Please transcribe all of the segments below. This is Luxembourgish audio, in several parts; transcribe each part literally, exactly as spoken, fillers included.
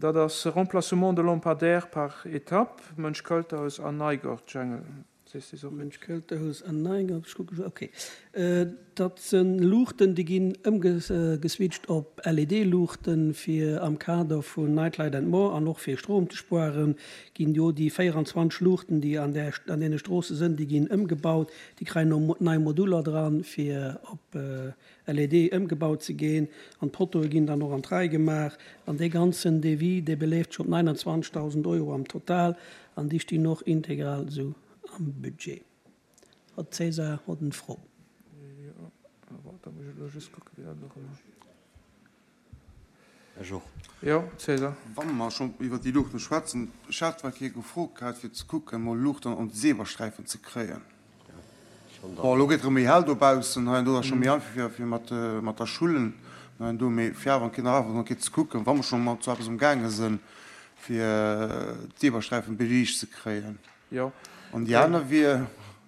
Dat ass Remplacement de lampadaires par étape, Mönch-Költerhaus an Neigort, Jangel. Sees de se och? Mönch-Költerhaus an Neigort, ech kucke, okay. Dat si Luuchten, déi ginn ëmgeswitcht op L E D-Luuchten, fir am Kader vun Night Light and More an och fir Strom ze spueren, ginn jo déi véieranzwanzeg Luuchten, déi an där, an deene Stroosse sinn, déi ginn ëmgebaut, déi kréien no nei Moduler dran, fir op L E D ëmgebaut ze ginn, an d'Poteaue ginn dann och an d'Rei gemaach. An dee ganzen Devis, dee beleeft sech op neunundzwanzegdausend Euro am Total, an déi stinn och integral esou am Budget. Hott César hott en Fro. Jo, da muss ech elo just kucken, wéi dat elo erëm. Ech och. Jo, César. Wa mer schonn iwwert déi Luuchten schwätzen, ech hat zwar kee gefrot gehat, fir ze kucken, emol Luuchten an d'Zebrasträifen ze kréien. Bon, elo gëtt erëm méi hell dobaussen, hei an do ass scho méi einfach fir, fir mat, mat der Schullen hei an do, mee fir awer eng Kéier nach awer eng Kéier ze kucken, wa mer scho mat sou eppes umgaange sinn, fir d'Zebrasträifen beliicht ze kréien. Jo. An déi aner wier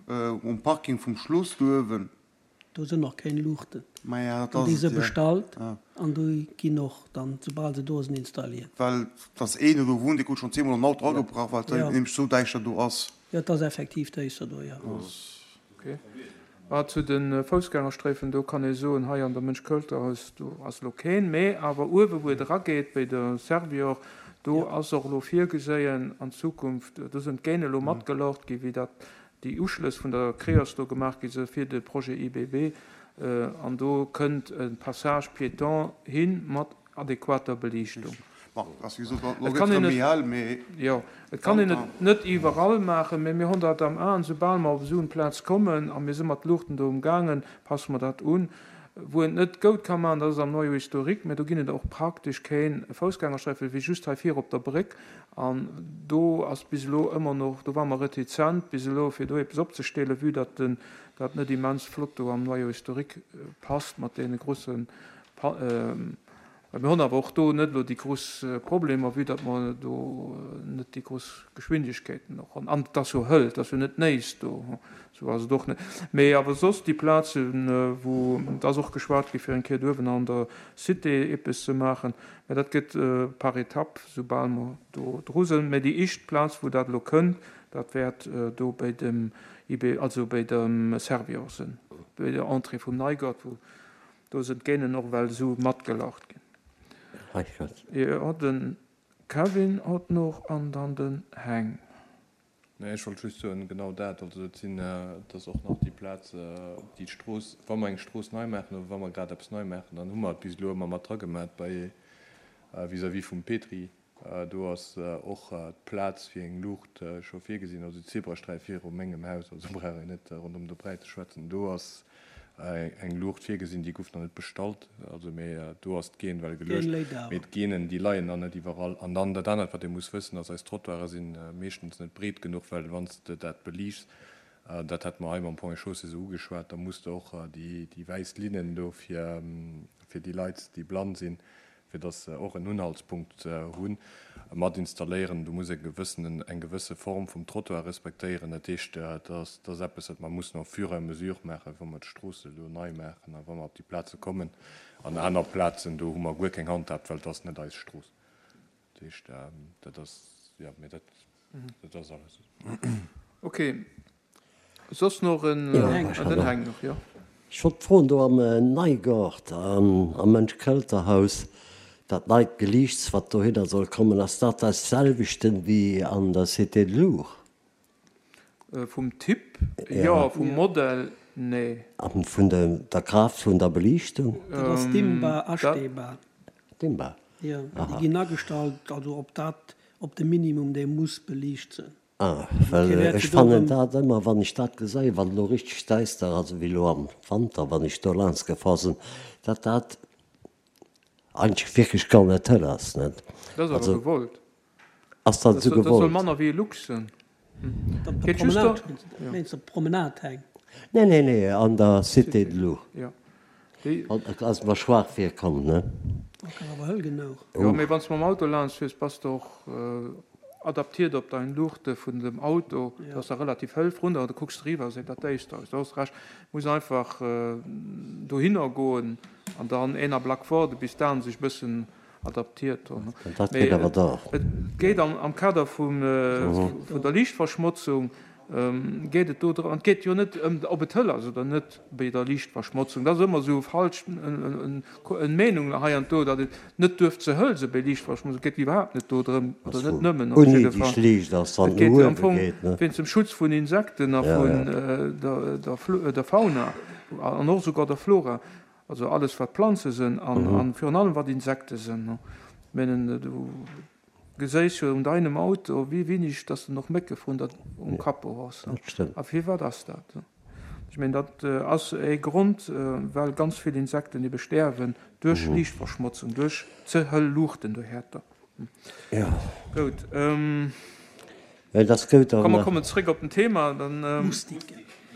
um Parking vum Schloss do uewen. Do sinn och keng Luuchten. Maja, dat An ass déi et, si jo. bestallt Ja. an déi ginn och dann, soubal se do sinn, installiert. Well et ass een, dee do wunnt, dee krut schonn zweemol an Auto agebrach, well et Ja. nämlech sou däischter do ass. Jo, et ass effektiv däischter do, jo. Okay. Ah, zu de Foussgängersträifen, do kann ee soen, hei an der Mönch-Költerhaus, do ass elo keen, mee awer uewe wou et erageet, bei der Servior, do Ja. ass och elo virgeséien an Zukunft, do sinn d'Gähn elo matgelaucht gi wéi dat déi Uschlëss vun der Creos do gemaach gi si fir de Projet I B B, an do kënnt e Passage piéton hin mat adäquater Beliichtung. Bon, ass wéi gesot, elo Et gëtt kann et een erëm méi et, hell, mee jo, et kann een Wanter. et net iwwerall maachen, mee mir hunn dat am Aen, soubal mer op esou en Plaz kommen, a mir si mat Luuchten do umgaangen, passe mer dat un. Wou een et net goud ka maachen, dat ass am Noyau historique, mä do ginn et och praktesch keen Foussgängersträifen, wéi just hei vir op der Bréck, an do ass bis elo ëmmer noch, do ware mer retizent bis elo, fir do eppes opzestellen, vue datt den, dat net immens flott do am Noyau historique passt mat deene grossen, well mir hunn awer och do net elo déi grouss Problemer, vue datt mer do net déi grouss Geschwindegkeeten och hunn. An et ass jo hëll, et ass jo net néiss do, esou ass et och net. Mee awer soss déi Plazen, wou, et ass och geschwat gi fir eng Kéier do uewen an der Cité eppes ze maachen, mä dat gëtt par étapes, soubal mer do dru sinn. Mä déi éischt Plaz, wou dat elo kënnt, dat wäert do bei dem I B, also bei dem Servior sinn, bei der Entrée vum Neigert, wou do sinn d'Gähnen och well esou matgelaucht ginn. Jo, den Kevin hott noch an dann den Heng. Nee, ech wollt just soen, genau dat. Also et sinn, et ass och nach déi Plaz, déi Strooss, wa mer eng Strooss nei maachen oder wa mer grad eppes nei maachen, dann hu mer et bis elo ëmmer mat dragemat bei vis-à-vis vum Petri. Do ass och d'Plaz fir eng Luucht scho virgesinn, also d'Zebrasträif viru mengem Haus, also brauch een net ronderëm de Bräi ze schwätzen. Do ass eng Luucht virgesinn, déi gouf nach net bestallt, also mee do ass d'Geen well D'Geen geluecht. léit Mee awer. d'Geenen, déi leien nach net iwwerall. An dann dat anert, wat ee muss wëssen, ass, eis Trottoiren si meeschtens net breet genuch, well wann s de dat beliichts, dat hate mer hei mam Ponts et Chaussées esou ugeschwat, da muss de och déi déi wäiss Linnen do fir fir déi Leit, déi blann sinn, fir dass se och en Unhaltspunkt hunn, mat installéieren. Du muss e gewëssenen, eng gewësse Form vum Trottoir respektéieren. Dat heescht, dat ass, dat ass eppes, wat mer mussen au fur et à mesure maachen, wa mer d'Stroosse elo nei maachen a wa mer op déi Plaze kommen. An aner Plazen, do hu mer guer keng Handhab, well et ass net eis Strooss. Dat heescht, dat ass, jo, mee dat, dat ass alles. Okay. Soss noch en, Jo, Den Heng. ech hat den och. Heng noch, jo. Ech wollt froen, do am Neigort am Mönch-Költer-Haus, dat neit Geliichts, wat dohinner soll kommen, ass dat dat selwechten wéi an der Cité de Lourdes? Vum Typ jo, Ja. vum Jo. Modell nee. A vun der der Kraaft vun der Beliichtung? Dat ass dimmbar, Dat. astehbar. Dimmbar? Jo, déi Aha. ginn agestallt, also op dat, op de Minimum, dee muss beliicht sinn. Ah, Also well kee wäert ech jo do fannen erëm. dat ëmmer, wann ech dat geséien, wann elo richteg däister ass, ewéi elo am Wanter, wann ech do laanscht gefahr sinn, datt dat eigentlech wierklech gar net hell ass, net? Dat ass awer Also gewollt. ass dat Dat esou soll, dat soll gewollt? manner wéi e Lux sinn. Op der Geet just Promenade, do, jo. meenst op Promenade, Heng? Nee, nee, nee, an der Cité Cité, de Lourdes. jo. Déi. Ass mer schwaach virkomm, ne? Dat ass awer hëll genuch. Jo, Uh. mee wann s mam Auto laanscht fiers, bass de och adaptiert op dein Luuchte vun dem Auto. Ja. Dat ass da relativ hëll vrun, da kucks de riwwer, seet dat däischter aus. Do hues Recht, muss einfach dohinner goen an dann een Ablack waarde bis d'Aen sech bëssen adaptiert do. Dat geet awer dach. Et geet am Kader vun der Liichtverschmotzung geet et do drëm, an et geet jo net ëm, ob et hëll ass oder net bei der Liichtverschmotzung. Dat ass ëmmer esou falsch en Meenung hei an do, datt et net duerf ze hëll se bei Liichtverschmotzung. Et geet iwwerhaapt net do drëm, oder net nëmmen op jidde Fall. Et geet am Fong wéinst dem Schutz vun Insekten a vun der Fauna an och esouguer der Flora, also alles wat Planze sënn an virun allem wat Insekte sënn. Ech menen, du geséis jo un deinem Auto, wéi wéineg dass de noch Mécke vrun der um Capot hues. A firwat ass dat? Ech mengen, dat ass ee Grond, well ganz vill Insekten ebe stäerwen duerch Liichtverschmotzung, duerch ze hëll Luuchten dohäerter. Gout. Komm, mer kommen zréck op den Thema. Dann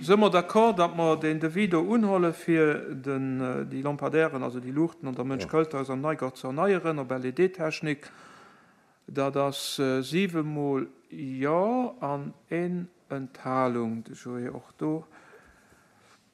si mer d'accord, datt mer deen Devis do unholle fir den, déi Lampadaires, also déi Luuchten an der Mënsch-Költer-Haus am Neigart ze erneieren op L E D-Technik. Dat ass siwe mol Jo an een Enthalung. De Joé och do.